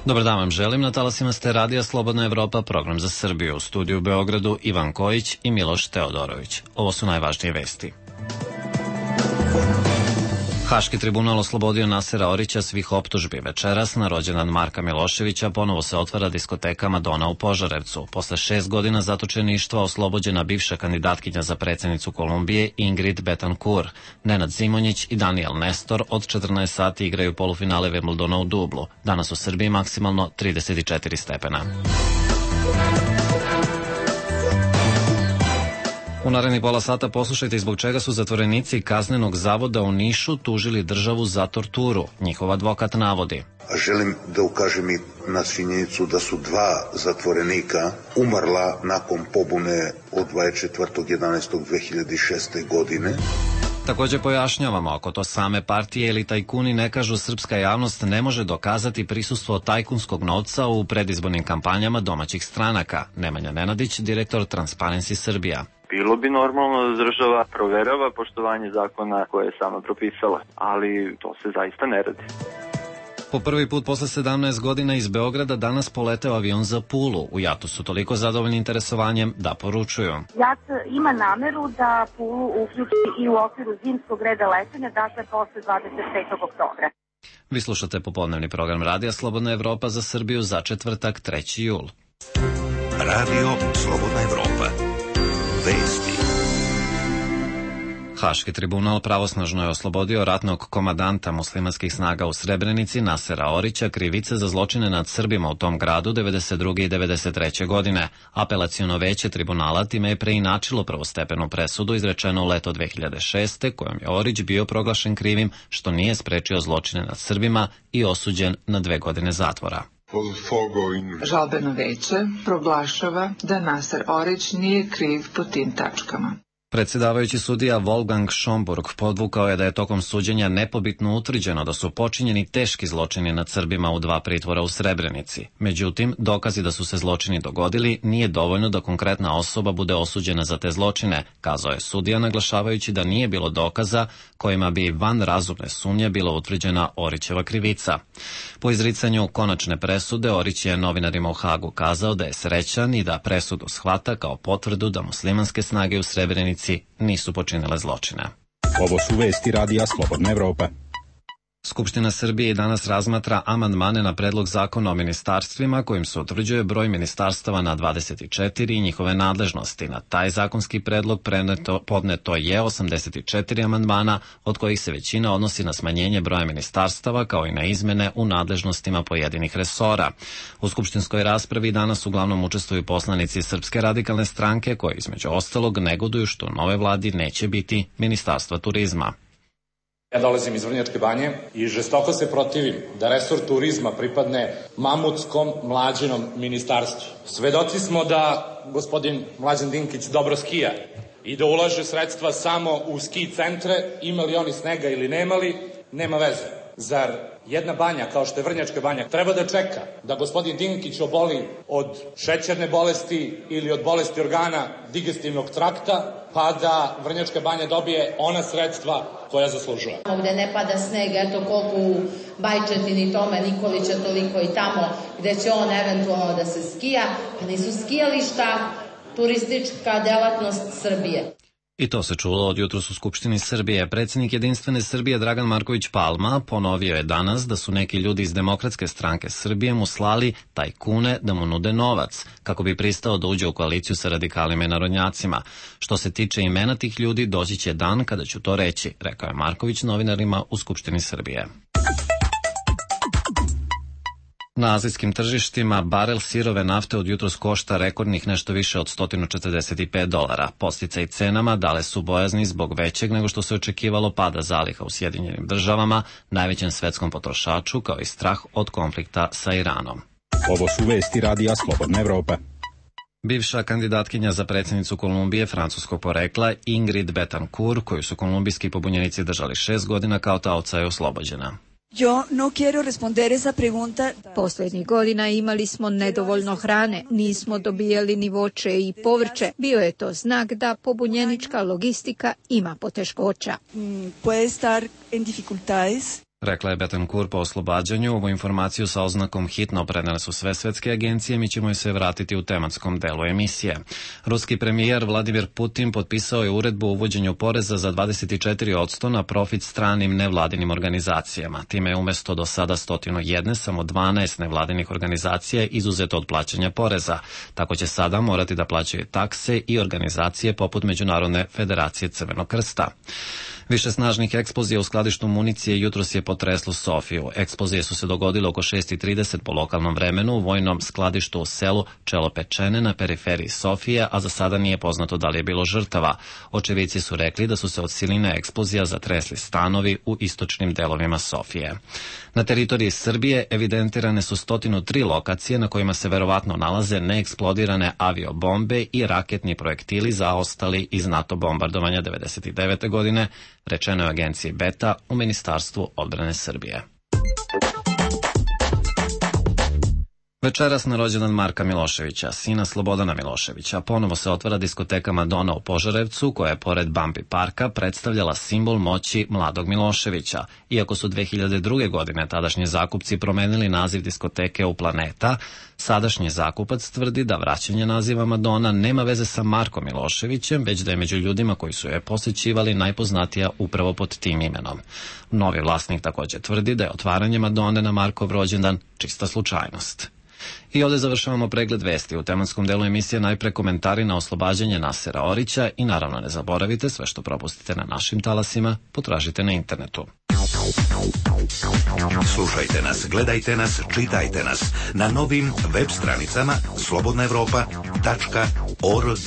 Dobar dan vam želim, na talasima ste Radija Slobodna Evropa, program za Srbiju. U studiju u Beogradu Ivan Kojić i Miloš Teodorović. Ovo su najvažnije vesti. Haški tribunal oslobodio Nasera Orića svih optužbi. Večeras, na rođendan Marka Miloševića, ponovo se otvara diskoteka Madona u Požarevcu. Posle 6 godina zatočeništva oslobođena bivša kandidatkinja za predsjednicu Kolumbije Ingrid Betancourt. Nenad Zimonjić i Daniel Nestor od 14 sati igraju polufinale Wimbledona u Dublu. Danas u Srbiji maksimalno 34 stepena. U narednih pola sata poslušajte zbog čega su zatvorenici kaznenog zavoda u Nišu tužili državu za torturu. Njihov advokat navodi: Želim da ukažem i na činjenicu da su 2 zatvorenika umrla nakon pobune od 24.11.2006. godine. Također pojašnjavamo, ako to same partije ili tajkuni ne kažu, srpska javnost ne može dokazati prisustvo tajkunskog novca u predizbornim kampanjama domaćih stranaka. Nemanja Nenadić, direktor Transparency Srbija. Bilo bi normalno da država proverava poštovanje zakona koje je sama propisala, ali to se zaista ne radi. Po prvi put posle 17 godina iz Beograda danas poleteo avion za Pulu. U JAT-u su toliko zadovoljni interesovanjem da poručuju: JAT ima nameru da Pulu uključi i u okviru zimskog reda letenja, dakle posle 25. oktobra. Vi slušate popodnevni program Radija Slobodna Evropa za Srbiju za četvrtak 3. jul. Radio Slobodna Evropa. Vesti. Haški tribunal pravosnažno je oslobodio ratnog komadanta muslimanskih snaga u Srebrenici Nasera Orića krivice za zločine nad Srbima u tom gradu 92. i 93. godine. Apelaciono veće tribunala time je preinačilo prvostepenu presudu izrečenu u leto 2006. kojom je Orić bio proglašen krivim što nije sprečio zločine nad Srbima i osuđen na 2 godine zatvora. Žalbeno veće proglašava da Naser Orić nije kriv po tim tačkama. Predsjedavajući sudija Wolfgang Schomburg podvukao je da je tokom suđenja nepobitno utvrđeno da su počinjeni teški zločini nad Srbima u 2 pritvora u Srebrenici. Međutim, dokazi da su se zločini dogodili nije dovoljno da konkretna osoba bude osuđena za te zločine, kazao je sudija, naglašavajući da nije bilo dokaza kojima bi van razumne sumnje bila utvrđena Orićeva krivica. Po izricanju konačne presude, Orić je novinarima u Hagu kazao da je srećan i da presudu shvata kao potvrdu da muslimanske snage u Srebrenici nisu počinile zločine. Ovo su vesti Radija Slobodna Evropa. Skupština Srbije i danas razmatra amandmane na predlog zakona o ministarstvima kojim se utvrđuje broj ministarstava na 24 i njihove nadležnosti. Na taj zakonski predlog podneto je 84 amandmana, od kojih se većina odnosi na smanjenje broja ministarstava kao i na izmene u nadležnostima pojedinih resora. U skupštinskoj raspravi danas uglavnom učestvuju poslanici Srpske radikalne stranke koji između ostalog negoduju što u nove vladi neće biti ministarstva turizma. Ja dolazim iz Vrnjačke Banje i žestoko se protivim da resor turizma pripadne mamutskom Mlađinom ministarstvu. Svedoci smo da gospodin Mlađan Dinkić dobro skija i da ulaže sredstva samo u ski centre, imali oni snega ili nemali, nema veze. Zar jedna banja kao što je Vrnjačka Banja treba da čeka da gospodin Dinkić oboli od šećerne bolesti ili od bolesti organa digestivnog trakta, pa da Vrnjačka Banja dobije ona sredstva koja zaslužuje? Gde ne pada sneg, eto koliko u Bajčetini, Tome Nikolića, toliko i tamo gde će on eventualno da se skija, pa nisu skijališta turistička delatnost Srbije. I to se čulo od jutros u Skupštini Srbije. Predsjednik Jedinstvene Srbije Dragan Marković Palma ponovio je danas da su neki ljudi iz Demokratske stranke Srbije mu slali tajkune da mu nude novac, kako bi pristao da uđe u koaliciju sa radikalima i narodnjacima. Što se tiče imena tih ljudi, doći će dan kada ću to reći, rekao je Marković novinarima u Skupštini Srbije. Na azijskim tržištima barel sirove nafte od jutros košta rekordnih nešto više od $145. Podsticaj cenama dale su bojazni zbog većeg nego što se očekivalo pada zaliha u Sjedinjenim Državama, najvećem svetskom potrošaču, kao i strah od konflikta sa Iranom. Ovo su vesti Radija Slobodna Evropa. Bivša kandidatkinja za predsjednicu Kolumbije francuskog porekla Ingrid Betancourt, koju su kolumbijski pobunjenici držali 6 godina kao taoca, je oslobođena. Posljednjih godina imali smo nedovoljno hrane, nismo dobijali ni voće i povrće. Bio je to znak da pobunjenička logistika ima poteškoća. Rekla je Betancourt po oslobađanju. Ovu informaciju sa oznakom hitno prenele su sve svetske agencije, mi ćemo joj se vratiti u tematskom delu emisije. Ruski premijer Vladimir Putin potpisao je uredbu o uvođenju poreza za 24% na profit stranim nevladinim organizacijama. Time je umesto do sada 101 samo 12 nevladinih organizacija izuzeto od plaćanja poreza. Tako će sada morati da plaćaju takse i organizacije poput Međunarodne federacije Crvenog krsta. Više snažnih eksplozija u skladištu municije jutros je potreslo Sofiju. Eksplozije su se dogodile oko 6:30 po lokalnom vremenu u vojnom skladištu u selu Čelopečene na periferiji Sofije, a za sada nije poznato da li je bilo žrtava. Očevici su rekli da su se od siline eksplozija zatresli stanovi u istočnim delovima Sofije. Na teritoriji Srbije evidentirane su 103 lokacije na kojima se verovatno nalaze neeksplodirane aviobombe i raketni projektili zaostali iz NATO bombardovanja 1999. godine, rečeno je agenciji Beta u Ministarstvu odbrane Srbije. Večeras na rođendan Marka Miloševića, sina Slobodana Miloševića, ponovo se otvara diskoteka Madonna u Požarevcu, koja je pored Bambi parka predstavljala simbol moći mladog Miloševića. Iako su 2002. godine tadašnji zakupci promenili naziv diskoteke u Planeta, sadašnji zakupac tvrdi da vraćanje naziva Madonna nema veze sa Markom Miloševićem, već da je među ljudima koji su je posećivali najpoznatija upravo pod tim imenom. Novi vlasnik također tvrdi da je otvaranje Madone na Markov rođendan čista slučajnost. I ovdje završavamo pregled vesti. U tematskom delu emisije najpre komentari na oslobađanje Nasera Orića i naravno ne zaboravite, sve što propustite na našim talasima potražite na internetu. Slušajte nas, gledajte nas, čitajte nas na novim web stranicama slobodnaevropa.org.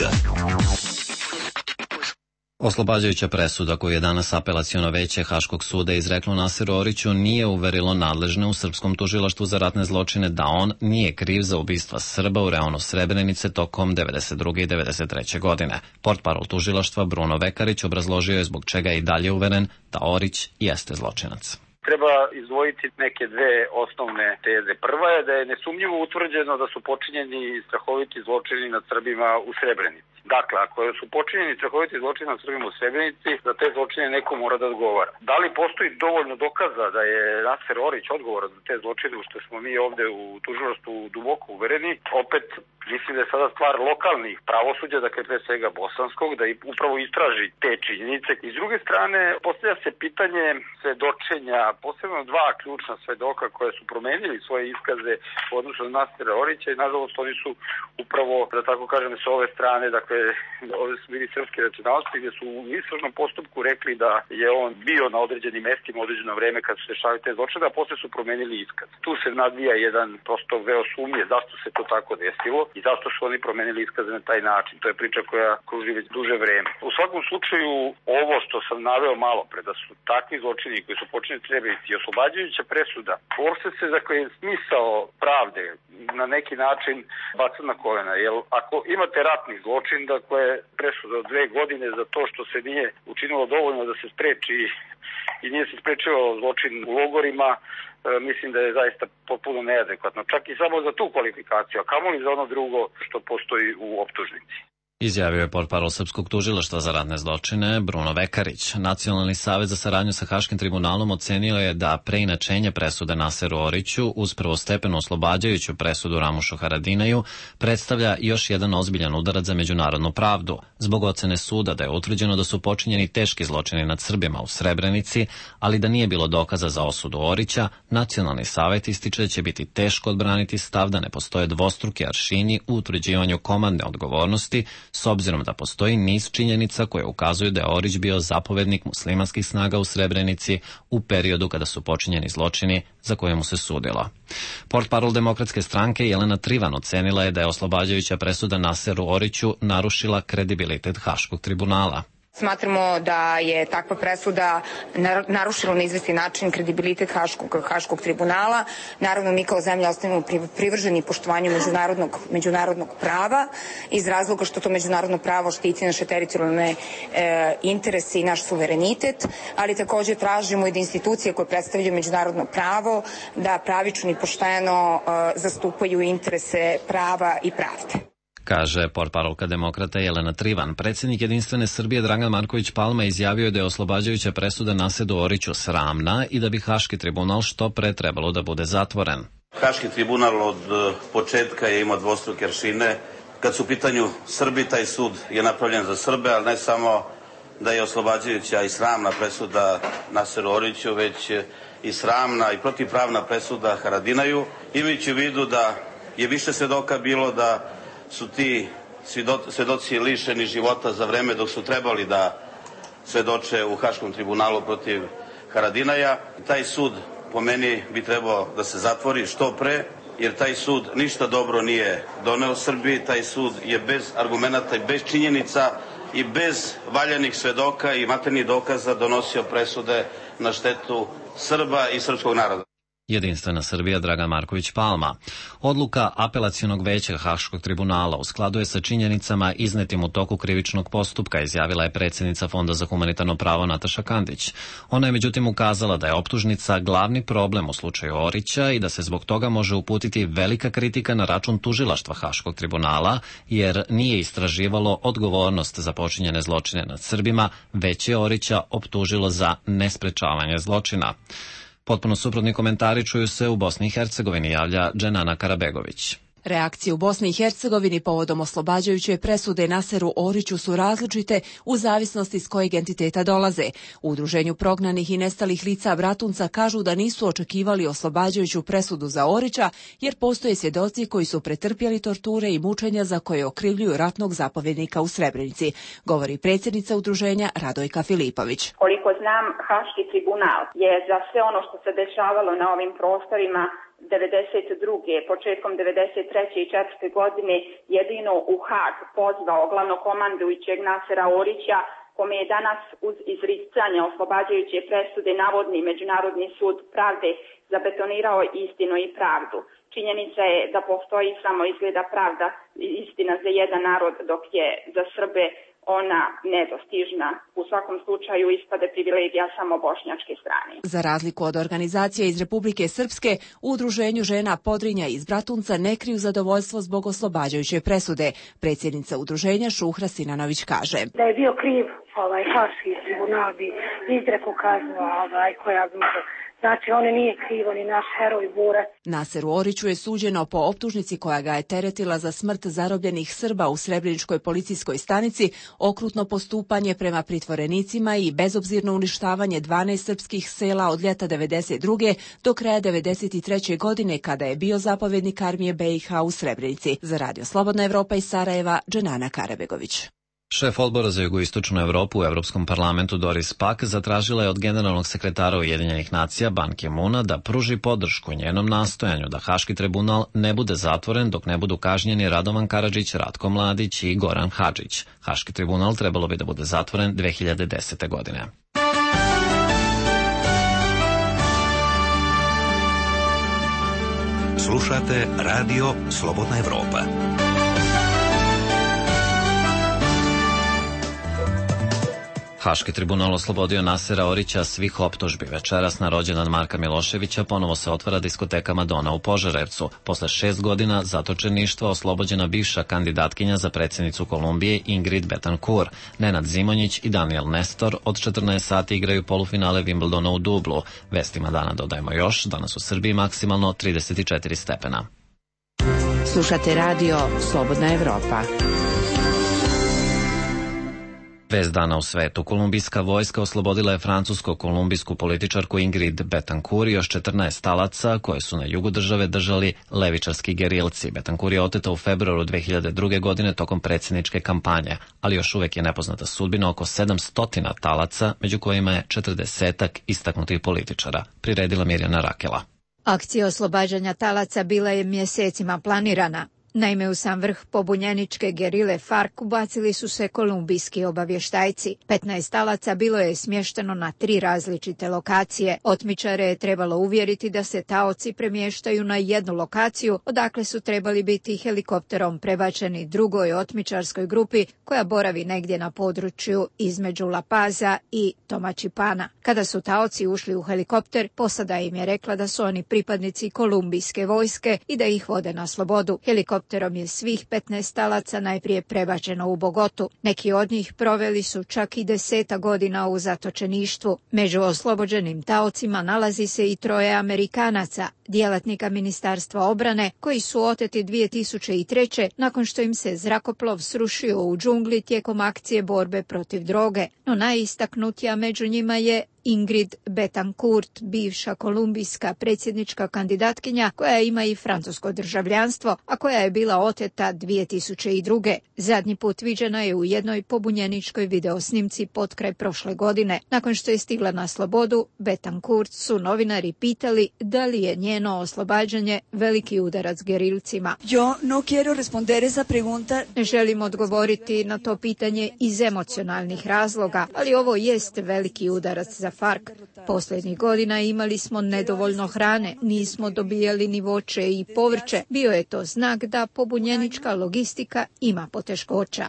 Oslobađajuća presuda koju je danas apelaciono veće Haškog suda izreklo Naseru Oriću nije uverilo nadležne u srpskom tužilaštvu za ratne zločine da on nije kriv za ubistva Srba u reonu Srebrenice tokom 92. i 93. godine. Portparol tužilaštva Bruno Vekarić obrazložio je zbog čega je i dalje uveren da Orić jeste zločinac. Treba izdvojiti neke dve osnovne teze. Prva je da je nesumnjivo utvrđeno da su počinjeni strahoviti zločini nad Srbima u Srebrenici. Dakle, ako su počinjeni strahoviti zločini nad Srbima u Srebrenici, za te zločine neko mora da odgovara. Da li postoji dovoljno dokaza da je Naser Orić odgovoran za te zločine, u što smo mi ovde u tužilaštvu duboko uvereni? Opet, mislim da je sada stvar lokalnih pravosuđa, dakle pre svega bosanskog, da upravo istraži te činjenice. I s druge strane, postavlja se pitanje svedočenja, posebno dva ključna svedoka koja su promenili svoje iskaze u odnosu na Nasera Orića i nažalost oni su upravo, da tako kažem, sa ove strane, dakle ovdje su bili srpske nacionalnosti gdje su u istražnom postupku rekli da je on bio na određenim mestima određeno vreme kad su se dešavali te zločine, a posle su promenili iskaz. Tu se nadvija jedan prosto veo sumnje zašto se to tako desilo i zašto su oni promenili iskaze na taj način. To je priča koja kruži već duže vreme. U svakom slučaju, ovo što sam naveo malo pre, da su takvi zločini koji su počinjeni Srebrenici i oslobađajuća presuda, uopšte se, dakle, smisao pravde na neki način baca na kolena. Jer ako imate ratni zločin, dakle, presuda od 2 godine za to što se nije učinilo dovoljno da se spreči i nije se sprečio zločin u logorima, mislim da je zaista potpuno neadekvatno. Čak i samo za tu kvalifikaciju, a kamoli za ono drugo što postoji u optužnici. Izjavio je portparol Srpskog tužilaštva za ratne zločine Bruno Vekarić. Nacionalni savet za saradnju sa Haškim tribunalom ocenio je da preinačenje presude Naseru Oriću uz prvostepenu oslobađajuću presudu Ramušu Haradinaju predstavlja još jedan ozbiljan udarac za međunarodnu pravdu. Zbog ocene suda da je utvrđeno da su počinjeni teški zločini nad Srbima u Srebrenici, ali da nije bilo dokaza za osudu Orića, Nacionalni savet ističe da će biti teško odbraniti stav da ne postoje dvostruki aršini u utvrđivanju komandne odgovornosti, s obzirom da postoji niz činjenica koje ukazuju da je Orić bio zapovednik muslimanskih snaga u Srebrenici u periodu kada su počinjeni zločini za koje mu se sudilo. Portparol Demokratske stranke Jelena Trivan ocenila je da je oslobađajuća presuda Naseru Oriću narušila kredibilitet Haškog tribunala. Smatramo da je takva presuda narušila na izvesni način kredibilitet Haškog tribunala. Naravno, mi kao zemlja ostajemo privrženi poštovanju međunarodnog prava iz razloga što to međunarodno pravo štiti naše teritorijalne interese i naš suverenitet, ali također tražimo i da institucije koje predstavljaju međunarodno pravo da pravično i pošteno zastupaju interese prava i pravde. kaže portparolka demokrata Jelena Trivan. Predsjednik Jedinstvene Srbije Dragan Marković Palma izjavio je da je oslobađajuća presuda Naseru Oriću sramna i da bi Haški tribunal što pre trebalo da bude zatvoren. Haški tribunal od početka je imao dvostruke aršine. Kad su u pitanju Srbi, taj sud je napravljen za Srbe, ali ne samo da je oslobađajuća i sramna presuda Naseru Oriću, već i sramna i protivpravna presuda Haradinaju, imajući u vidu da je više svedoka bilo, da su ti svedoci lišeni života za vreme dok su trebali da svedoče u Haškom tribunalu protiv Haradinaja. Taj sud po meni bi trebao da se zatvori što pre, jer taj sud ništa dobro nije doneo Srbiji, taj sud je bez argumenata i bez činjenica i bez valjanih svedoka i materijalnih dokaza donosio presude na štetu Srba i srpskog naroda. Jedinstvena Srbija Dragan Marković Palma. Odluka Apelacionog veća Haškog tribunala u skladu je sa činjenicama iznetim u toku krivičnog postupka, izjavila je predsjednica Fonda za humanitarno pravo Nataša Kandić. Ona je međutim ukazala da je optužnica glavni problem u slučaju Orića i da se zbog toga može uputiti velika kritika na račun tužilaštva Haškog tribunala, jer nije istraživalo odgovornost za počinjene zločine nad Srbima, već je Orića optužilo za nesprečavanje zločina. Potpuno suprotni komentari čuju se u Bosni i Hercegovini, javlja Dženana Karabegović. Reakcije u Bosni i Hercegovini povodom oslobađajuće presude Naseru Oriću su različite u zavisnosti s kojeg entiteta dolaze. U Udruženju prognanih i nestalih lica Bratunca kažu da nisu očekivali oslobađajuću presudu za Orića, jer postoje svjedoci koji su pretrpjeli torture i mučenja za koje okrivljuju ratnog zapovjednika u Srebrenici, govori predsjednica udruženja Radojka Filipović. Koliko znam, Haški tribunal je za sve ono što se dešavalo na ovim prostorima 92. početkom 93. i 4. godine jedino u Hag pozvao glavnokomandujućeg Nasera Orića, kome je danas uz izricanje oslobađajuće presude navodni Međunarodni sud pravde zabetonirao istinu i pravdu. Činjenica je da postoji samo izgleda pravda i istina za jedan narod, dok je za Srbe ona nedostižna. U svakom slučaju ispade privilegija samo bošnjačke strane. Za razliku od organizacije iz Republike Srpske, u Udruženju žena Podrinja iz Bratunca ne kriju zadovoljstvo zbog oslobađajuće presude. Predsjednica udruženja Šuhra Sinanović kaže: Da je bio kriv Haški tribunal bi izrekao kaznu koja bi znači, on nije kriv, on je naš heroj borac. Naseru Oriću je suđeno po optužnici koja ga je teretila za smrt zarobljenih Srba u Srebreničkoj policijskoj stanici, okrutno postupanje prema pritvorenicima i bezobzirno uništavanje 12 srpskih sela od ljeta 92. do kraja 93. godine, kada je bio zapovjednik armije BiH u Srebrenici. Za Radio Slobodna Evropa iz Sarajeva, Dženana Karabegović. Šef odbora za jugoistočnu Evropu u Evropskom parlamentu Doris Pack zatražila je od generalnog sekretara Ujedinjenih nacija Ban Ki-moona da pruži podršku njenom nastojanju da Haški tribunal ne bude zatvoren dok ne budu kažnjeni Radovan Karadžić, Ratko Mladić i Goran Hadžić. Haški tribunal trebalo bi da bude zatvoren 2010. godine. Slušate Radio Slobodna Evropa. Haški tribunal oslobodio Nasera Orića svih optužbi. Večeras na rođendan Marka Miloševića ponovo se otvara diskoteka Madona u Požarevcu. Posle 6 godina zatočeništva oslobođena bivša kandidatkinja za predsjednicu Kolumbije Ingrid Betancourt. Nenad Zimonjić i Daniel Nestor od 14 sati igraju polufinale Wimbledona u Dublu. Vestima dana dodajemo još, danas u Srbiji maksimalno 34 stepena. Slušate radio Slobodna Evropa. Vest dana u svetu. Kolumbijska vojska oslobodila je francusko-kolumbijsku političarku Ingrid Betancourt i još 14 talaca koje su na jugu države držali levičarski gerilci. Betancourt je oteta u februaru 2002. godine tokom predsjedničke kampanje, ali još uvek je nepoznata sudbina oko 700 talaca, među kojima je 40 istaknutih političara, priredila Mirjana Rakela. Akcija oslobađanja talaca bila je mjesecima planirana. Naime, u sam vrh pobunjeničke gerile FARC ubacili su se kolumbijski obavještajci. 15 talaca bilo je smješteno na 3 različite lokacije. Otmičare je trebalo uvjeriti da se taoci premještaju na jednu lokaciju, odakle su trebali biti helikopterom prebačeni drugoj otmičarskoj grupi koja boravi negdje na području između La Paza i Tomačipana. Kada su taoci ušli u helikopter, posada im je rekla da su oni pripadnici kolumbijske vojske i da ih vode na slobodu. Helikopter Helikopterom je svih 15 talaca najprije prebačeno u Bogotu. Neki od njih proveli su čak i 10 godina u zatočeništvu. Među oslobođenim taocima nalazi se i 3 Amerikanaca, djelatnika Ministarstva obrane, koji su oteti 2003. nakon što im se zrakoplov srušio u džungli tijekom akcije borbe protiv droge. No najistaknutija među njima je Ingrid Betancourt, bivša kolumbijska predsjednička kandidatkinja koja ima i francusko državljanstvo, a koja je bila oteta 2002. Zadnji put viđena je u jednoj pobunjeničkoj videosnimci potkraj prošle godine. Nakon što je stigla na slobodu, Betancourt su novinari pitali da li je njeno oslobađanje veliki udarac gerilcima. Ne želim odgovoriti na to pitanje iz emocionalnih razloga, ali ovo jest veliki udarac za FARC. Posljednjih godina imali smo nedovoljno hrane, nismo dobijali ni voće i povrće. Bio je to znak da pobunjenička logistika ima poteškoća.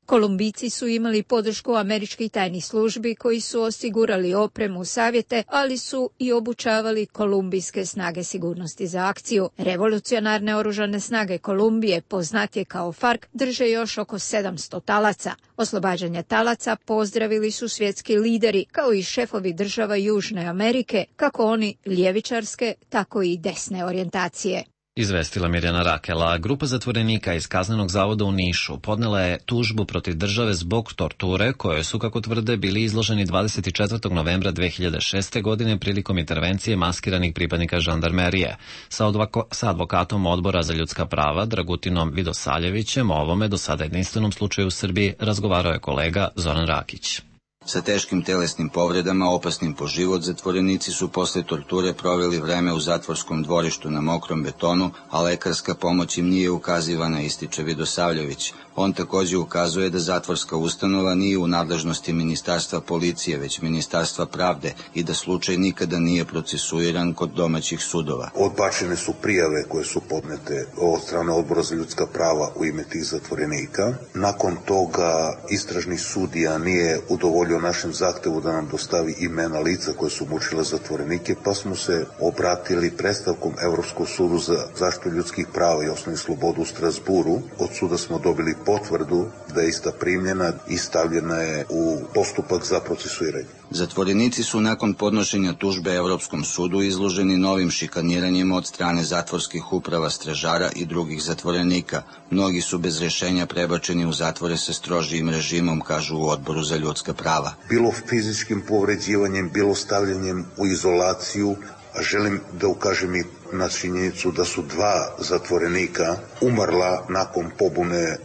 Kolumbijci su imali podršku američkih tajnih službi koji su osigurali opremu, savjete, ali su i obučavali kolumbijske snage sigurnosti za akciju. Revolucionarne oružane snage Kolumbije, poznatije kao FARC, drže još oko 700 talaca. Oslobađanje talaca pozdravili su svjetski lideri, kao i šefovi država Južne Amerike, kako oni ljevičarske, tako i desne orijentacije. Izvestila Mirjana Rakela. Grupa zatvorenika iz Kaznenog zavoda u Nišu podnela je tužbu protiv države zbog torture koje su, kako tvrde, bili izloženi 24. novembra 2006. godine prilikom intervencije maskiranih pripadnika žandarmerije. Sa advokatom Odbora za ljudska prava Dragutinom Vidosaljevićem o ovome do sada jedinstvenom slučaju u Srbiji razgovarao je kolega Zoran Rakić. Sa teškim telesnim povredama, opasnim po život, zatvorenici su posle torture proveli vreme u zatvorskom dvorištu na mokrom betonu, a lekarska pomoć im nije ukazivana, ističe Vidosavljević. On također ukazuje da zatvorska ustanova nije u nadležnosti Ministarstva policije, već Ministarstva pravde i da slučaj nikada nije procesuiran kod domaćih sudova. Odbačene su prijave koje su podnete od strane Odbora za ljudska prava u ime tih zatvorenika. Nakon toga istražni sudija nije udovoljio našem zahtevu da nam dostavi imena lica koje su mučile zatvorenike, pa smo se obratili predstavkom Evropskog sudu za zaštitu ljudskih prava i osnovnih sloboda u Strasburu. Od suda smo dobili potvrdu da je ista primljena i stavljena je u postupak za procesuiranje. Zatvorenici su nakon podnošenja tužbe Evropskom sudu izloženi novim šikaniranjima od strane zatvorskih uprava, stražara i drugih zatvorenika. Mnogi su bez rješenja prebačeni u zatvore sa strožijim režimom, kažu u Odboru za ljudska prava. Bilo fizičkim povređivanjem, bilo stavljanjem u izolaciju, a želim da ukažem i na činjenicu da su 2 zatvorenika umrla nakon pobune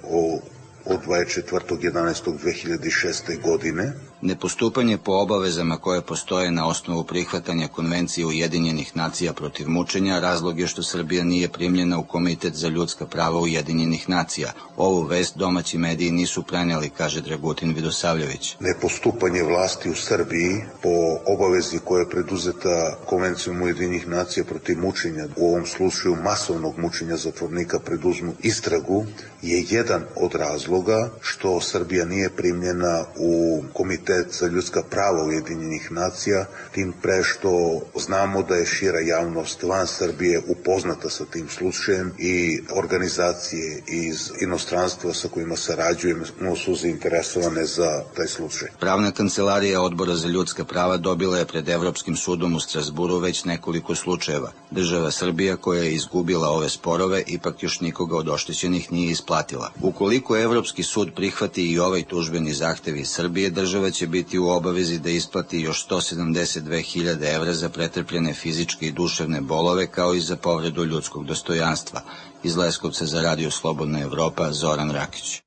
od 24.11.2006. godine. Nepostupanje po obavezama koje postoje na osnovu prihvatanja Konvencije Ujedinjenih nacija protiv mučenja razlog je što Srbija nije primljena u Komitet za ljudska prava Ujedinjenih nacija. Ovu vest domaći mediji nisu prenijeli, kaže Dragutin Vidosavljević. Nepostupanje vlasti u Srbiji po obavezi koja je preduzeta Konvencijom Ujedinjenih nacija protiv mučenja, u ovom slučaju masovnog mučenja zatvornika, preduzmu istragu, je jedan od razloga što Srbija nije primljena u Komitet za ljudska prava Ujedinjenih nacija, tim pre što znamo da je šira javnost van Srbije upoznata sa tim slučajem i organizacije iz inostranstva sa kojima sarađujemo su zainteresovane za taj slučaj. Pravna kancelarija Odbora za ljudska prava dobila je pred Evropskim sudom u Strasburu već nekoliko slučajeva. Država Srbija, koja je izgubila ove sporove, ipak još nikoga od oštećenih nije isplatila. Ukoliko Evropski sud prihvati i ovaj tužbeni zahtev iz Srbije, država će biti u obavezi da isplati još 172.000 evra za pretrpljene fizičke i duševne bolove, kao i za povredu ljudskog dostojanstva. Iz Leskovca za Radio Slobodna Evropa, Zoran Rakić.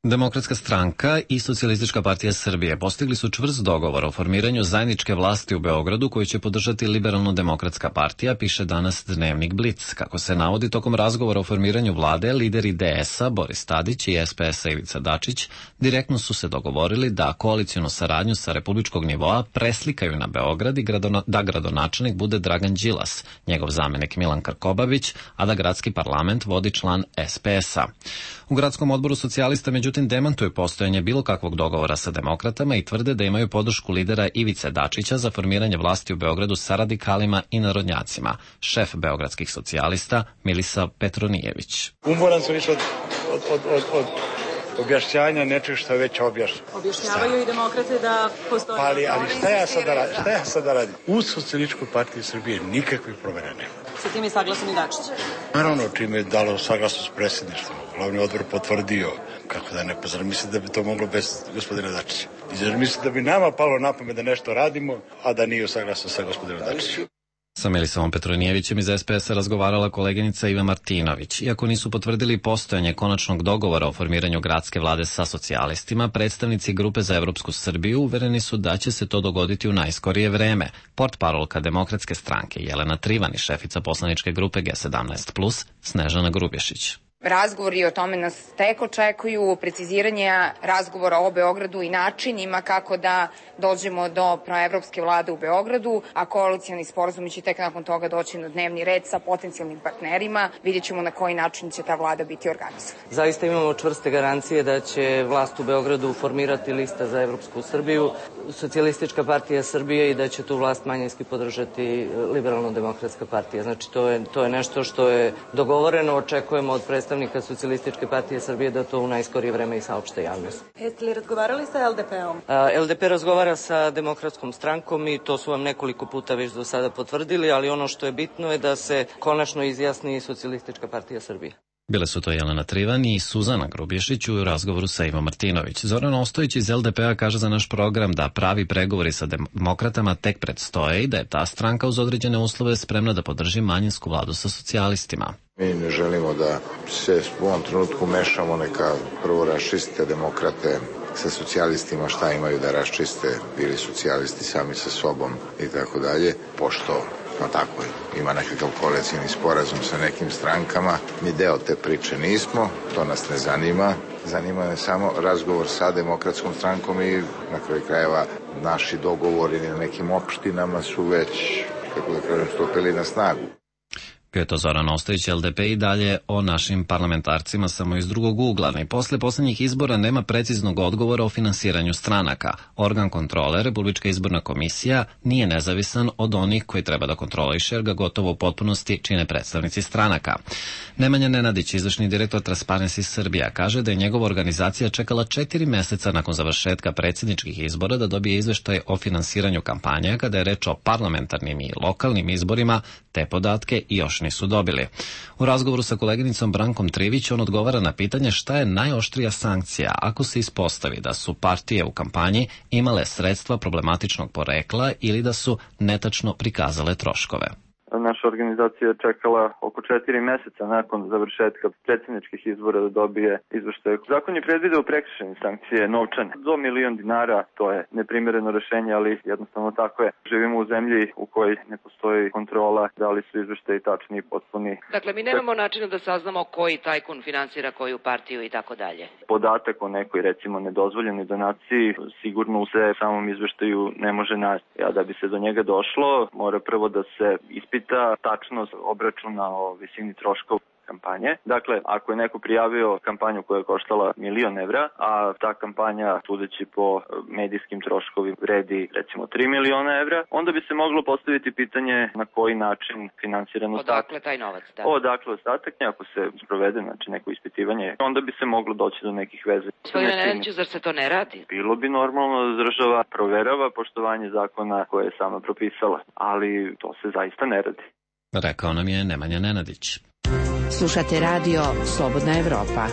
Demokratska stranka i Socijalistička partija Srbije postigli su čvrst dogovor o formiranju zajedničke vlasti u Beogradu koju će podržati Liberalno-demokratska partija, piše danas dnevnik Blic. Kako se navodi, tokom razgovora o formiranju vlade, lideri DS-a Boris Tadić i SPS-a Ivica Dačić direktno su se dogovorili da koalicijnu saradnju sa republičkog nivoa preslikaju na Beograd i da gradonačelnik bude Dragan Đilas, njegov zamenik Milan Krkobabić, a da gradski parlament vodi član SPS-a. U gradskom odboru socijalista međutim međutim demantuje postojanje bilo kakvog dogovora sa demokratama i tvrde da imaju podršku lidera Ivice Dačića za formiranje vlasti u Beogradu sa radikalima i narodnjacima. Šef beogradskih socijalista Milisa Petronijević. Umoran sam više od objašnjanja nečeg što je već objašnjeno. Objašnjavaju i demokrate da postoje... Ali šta ja sad da radim? U Socijalističkoj partiji Srbije nikakvih promjena nema. Sa tim je saglasan i Dačić? Naravno, čime je dalo saglasnost predsjedništva. Glavni odbor potvrdio. Kako da ne, pa zar misli da bi to moglo bez gospodina Dačića? I zar misli da bi nama palo na pamet da nešto radimo, a da nije saglasno sa gospodinom Dačićem? Sa Milisavom Petronijevićem iz SPS-a razgovarala koleginica Iva Martinović. Iako nisu potvrdili postojanje konačnog dogovora o formiranju gradske vlade sa socijalistima, predstavnici Grupe za Evropsku Srbiju uvereni su da će se to dogoditi u najskorije vreme. Portparolka Demokratske stranke Jelena Trivan i šefica poslaničke grupe G17+, Snežana Grubješić. Razgovori o tome nas tek očekuju, preciziranje razgovora o Beogradu i načinima kako da dođemo do proevropske vlade u Beogradu, a koalicioni sporazumi će tek nakon toga doći na dnevni red sa potencijalnim partnerima. Vidjet ćemo na koji način će ta vlada biti organizovana. Zaista imamo čvrste garancije da će vlast u Beogradu formirati lista za Evropsku Srbiju, Socijalistička partija Srbije i da će tu vlast manjinski podržati Liberalno-demokratska partija. Znači to je nešto što je dogovoreno, očekujemo od predstavnika Socijalističke partije Srbije da to u najskorije vreme i saopšte javnost. Jeste li razgovarali sa LDP-om? LDP razgovara sa Demokratskom strankom i to su vam nekoliko puta već do sada potvrdili, ali ono što je bitno je da se konačno izjasni Socijalistička partija Srbije. Bile su to Jelena Trivan i Suzana Grubješić u razgovoru sa Ivo Martinović. Zoran Ostojić iz LDP-a kaže za naš program da pravi pregovori sa demokratama tek predstoje i da je ta stranka uz određene uslove spremna da podrži manjinsku vladu sa socijalistima. Mi ne želimo da se u ovom trenutku mešamo, neka prvo raščiste demokrate sa socijalistima šta imaju da raščiste, bili socijalisti sami sa sobom i tako dalje, pošto pa tako je, ima nekakav koalicijni sporazum sa nekim strankama. Mi deo te priče nismo, to nas ne zanima. Zanima me samo razgovor sa Demokratskom strankom i na kraju krajeva naši dogovori na nekim opštinama su već, kako da kažem, stupili na snagu. Bio je to Zoran Ostojić, LDP i dalje o našim parlamentarcima samo iz drugog ugla. I posle poslednjih izbora nema preciznog odgovora o finansiranju stranaka. Organ kontrole, Republička izborna komisija, nije nezavisan od onih koji treba da kontroliše, jer ga gotovo u potpunosti čine predstavnici stranaka. Nemanja Nenadić, izvršni direktor Transparency Srbija, kaže da je njegova organizacija čekala 4 meseca nakon završetka predsjedničkih izbora da dobije izveštaj o finansiranju kampanja, kada je reč o parlamentarnim i lokalnim izborima, te podatke i još nisu dobili. U razgovoru sa koleginicom Brankom Trivić on odgovara na pitanje šta je najoštrija sankcija ako se ispostavi da su partije u kampanji imale sredstva problematičnog porekla ili da su netačno prikazale troškove. Naša organizacija je čekala oko 4 meseca nakon završetka predsjedničkih izbora da dobije izveštaj. Zakon je predvideo prekršajne sankcije novčane. Do $1.000.000, to je neprimereno rešenje, ali jednostavno tako je. Živimo u zemlji u kojoj ne postoji kontrola da li su izveštaji tačni i potpuni. Dakle, mi nemamo načina da saznamo koji tajkun finansira koju partiju i tako dalje. Podatak o nekoj, recimo, nedozvoljenoj donaciji sigurno u samom izveštaju ne može naći. A da bi se do njega došlo, mora prvo da se ispita tačnost obračuna o visini troškova kampanje. Dakle, ako je neko prijavio kampanju koja je koštala €1.000.000, a ta kampanja, sudeći po medijskim troškovima, vredi recimo €3.000.000, onda bi se moglo postaviti pitanje na koji način finansiran ostatak. Odakle taj novac? Da. Odakle ostatak, ako se sprovede neko ispitivanje, onda bi se moglo doći do nekih veze. Gospodine Nenadiću, zar se to ne radi? Bilo bi normalno da država proverava poštovanje zakona koje je sama propisala, ali to se zaista ne radi. Rekao nam je Nemanja Nenadić. Slušate radio Slobodna Evropa.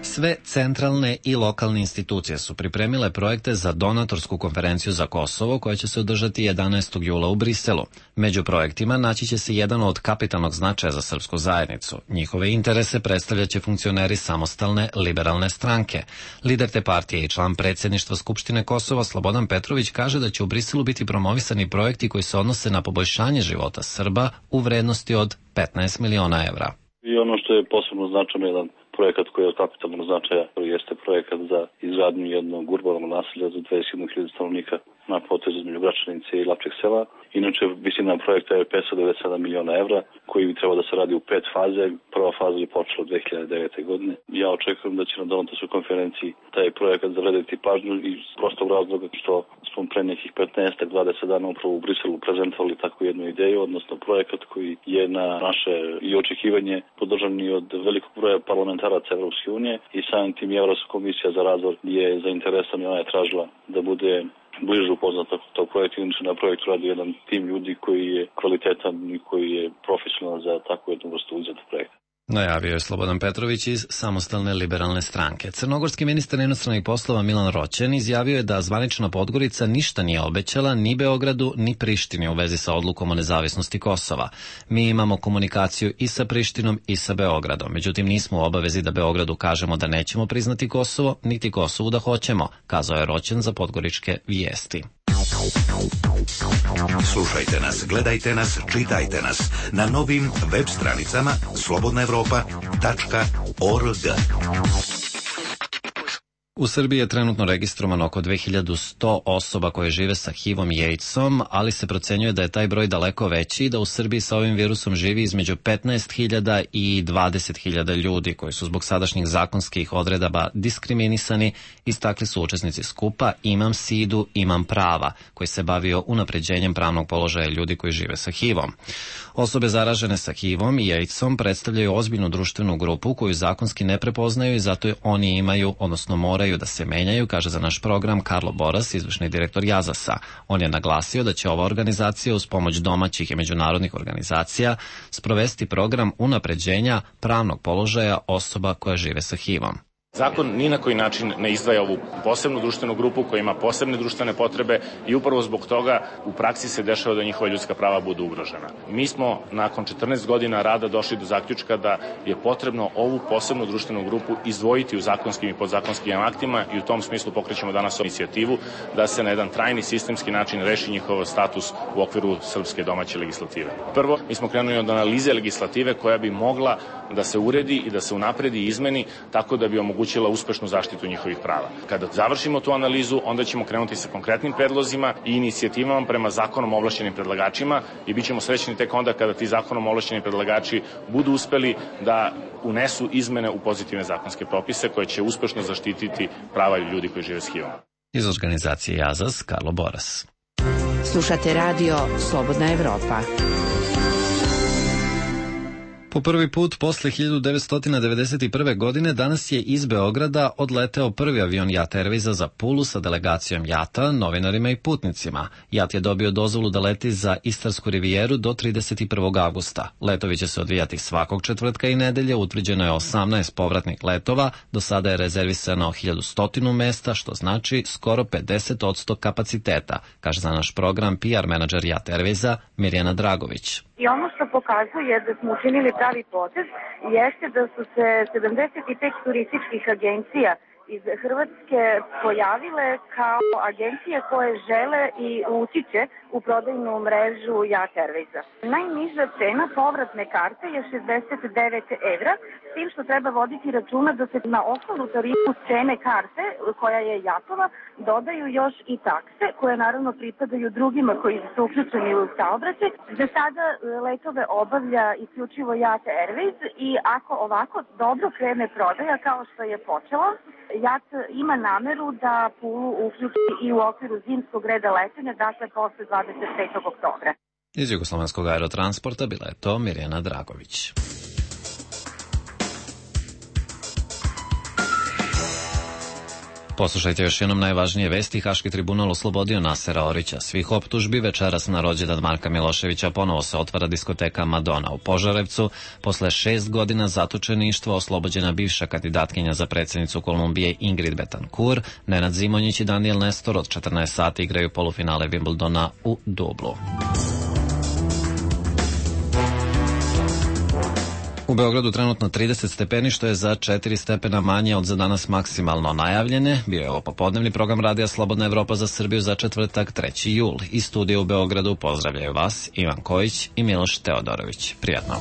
Sve centralne i lokalne institucije su pripremile projekte za donatorsku konferenciju za Kosovo koja će se održati 11. jula u Briselu. Među projektima naći će se jedan od kapitalnog značaja za srpsku zajednicu. Njihove interese predstavljaće funkcioneri samostalne liberalne stranke. Lider te partije i član predsjedništva Skupštine Kosova Slobodan Petrović kaže da će u Briselu biti promovisani projekti koji se odnose na poboljšanje života Srba u vrednosti od 15 miliona evra. I ono što je posebno značajno, jedan projekat koji je od kapitalnog značaja, koji jeste projekat za izgradnju jednog urbanog naselja za 21.000 stanovnika na potezu između Gračanice i Lapčeg sela. Inače, visina projekta je 597 miliona evra, koji bi trebao da se radi u 5 faze. Prva faza je počela 2009. godine. Ja očekujem da će na donotošoj konferenciji taj projekat zavrediti pažnju iz prostog razloga što smo pre nekih 15-20 dana upravo u Briselu prezentovali takvu jednu ideju, odnosno projekat koji je na naše i očekivanje podržan i od velikog broja parlamentaraca Evropske unije i samim tim Evropska komisija za razvoj je zainteresovana i ona je tražila da bude bliže upoznat tog projekta. Inače na projektu radi jedan tim ljudi koji je kvalitetan i koji je profesionalan za takvu jednu vrstu uzeta projekta. Najavio je Slobodan Petrović iz Samostalne liberalne stranke. Crnogorski ministar inostranih poslova Milan Roćen izjavio je da zvanična Podgorica ništa nije obećala ni Beogradu ni Prištini u vezi sa odlukom o nezavisnosti Kosova. Mi imamo komunikaciju i sa Prištinom i sa Beogradom, međutim nismo u obavezi da Beogradu kažemo da nećemo priznati Kosovo, niti Kosovu da hoćemo, kazao je Roćen za podgoričke vijesti. Slušajte nas, gledajte nas, čitajte nas na novim web stranicama slobodnaevropa.org. U Srbiji je trenutno registrovano oko 2100 osoba koje žive sa HIV-om i AIDS-om, ali se procenjuje da je taj broj daleko veći i da u Srbiji sa ovim virusom živi između 15.000 i 20.000 ljudi koji su zbog sadašnjih zakonskih odredaba diskriminisani, istakli su učesnici skupa Imam Sidu, Imam prava, koji se bavio unapređenjem pravnog položaja ljudi koji žive sa HIV-om. Osobe zaražene sa HIV-om i AIDS-om predstavljaju ozbiljnu društvenu grupu koju zakonski ne prepoznaju i zato oni imaju, odnosno moraju da se menjaju, kaže za naš program Karlo Boras, izvršni direktor Jazasa. On je naglasio da će ova organizacija uz pomoć domaćih i međunarodnih organizacija sprovesti program unapređenja pravnog položaja osoba koja žive sa HIV-om. Zakon ni na koji način ne izdvaja ovu posebnu društvenu grupu koja ima posebne društvene potrebe i upravo zbog toga u praksi se dešava da njihova ljudska prava budu ugrožena. Mi smo nakon 14 godina rada došli do zaključka da je potrebno ovu posebnu društvenu grupu izdvojiti u zakonskim i podzakonskim aktima i u tom smislu pokrećemo danas inicijativu da se na jedan trajni sistemski način reši njihov status u okviru srpske domaće legislative. Prvo, mi smo krenuli od analize legislative koja bi mogla da se uredi i da se unapredi i izmeni tako da bi omogućila uspešnu zaštitu njihovih prava. Kada završimo tu analizu, onda ćemo krenuti sa konkretnim predlozima i inicijativama prema zakonom ovlašćenim predlagačima i bit ćemo srećni tek onda kada ti zakonom ovlašćeni predlagači budu uspeli da unesu izmene u pozitivne zakonske propise koje će uspešno zaštititi prava ljudi koji žive s HIV-om. Iz organizacije Jazas, Karlo Boras. Slušate radio Slobodna Evropa. Po prvi put posle 1991. godine danas je iz Beograda odleteo prvi avion JAT Airwaysa za Pulu sa delegacijom JAT-a, novinarima i putnicima. JAT je dobio dozvolu da leti za Istarsku rivijeru do 31. avgusta. Letovi će se odvijati svakog četvrtka i nedelje, utvrđeno je 18 povratnih letova, do sada je rezervisano 1100 mesta, što znači skoro 50% kapaciteta, kaže za naš program PR menadžer JAT Airwaysa Mirjana Dragović. I ono što pokazuje da smo učinili pravi potez jeste da su se 75 turističkih agencija iz Hrvatske pojavile kao agencije koje žele i utiče u prodajnu mrežu JAT Airwaysa. Najniža cena povratne karte je 69 evra, s tim što treba voditi računa da se na osnovu tarifu cene karte, koja je JAT-ova, dodaju još i takse, koje naravno pripadaju drugima koji su uključeni u saobraćaj. Za sada letove obavlja isključivo JAT Airways i ako ovako dobro krene prodaja kao što je počelo, JAT ima nameru da Pulu uključi i u okviru zimskog reda letenja, dakle posle 25. oktobra. Iz Jugoslovenskog aerotransporta bila je to Mirjana Dragović. Poslušajte još jednom najvažnije vesti. Haški tribunal oslobodio Nasera Orića svih optužbi. Večeras na rođendan Marka Miloševića ponovo se otvara diskoteka Madonna u Požarevcu. Posle 6 godina zatočeništva oslobođena bivša kandidatkinja za predsjednicu Kolumbije Ingrid Betancourt. Nenad Zimonjić i Daniel Nestor od 14 sati igraju polufinale Wimbledona u Dublu. U Beogradu trenutno 30 stepeni, što je za 4 stepena manje od za danas maksimalno najavljene. Bio je ovo popodnevni program Radija Slobodna Evropa za Srbiju za četvrtak 3. jul. Iz studija u Beogradu pozdravljaju vas Ivan Kojić i Miloš Teodorović. Prijatno.